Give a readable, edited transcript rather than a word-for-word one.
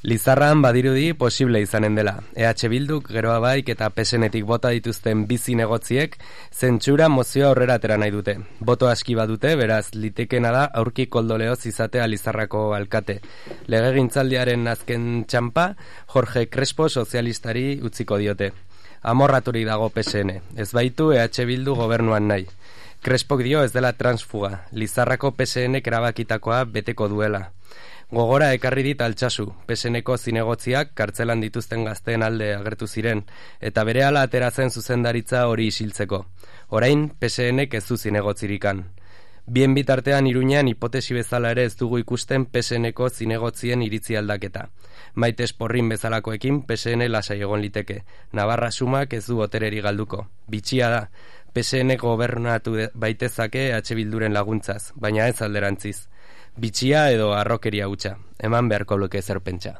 Lizarran badirudi posible izanen dela. EH Bilduk, Geroa Baik eta PSN-etik bota dituzten bi zinegotziek zentsura mozioa aurrera atera nahi dute. Boto aski badute, beraz, litekena da aurki koldoleoz izatea Lizarrako alkate. Legegintzaldiaren azken txampa, Jorge Crespo sozialistari utziko diote. Amorraturik dago PSN, ez baitu EH Bildu gobernuan nahi. Crespok dio ez dela transfuga, Lizarrako PSN-ek erabakitakoa beteko duela. Gogora ekarri dit Altsasu, PSN-eko zinegotziak kartzelan dituzten gazteen alde agertu ziren, eta berehala atera zen zuzendaritza hori isiltzeko. Orain, PSN-ek ez du zinegotzirikan. Bien bitartean Iruñean hipotesi bezala ere ez dugu ikusten PSN-eko zinegotzien iritzi aldaketa. Maite Esporrin bezalakoekin PSN lasai egon liteke. Navarra sumak ez du botereri galduko. Bitxia da, PSN gobernatu baitezake EH Bilduren laguntzaz, baina ez alderantziz. Bitxia edo arrokeria hutsa, eman beharko luke zer pentsa.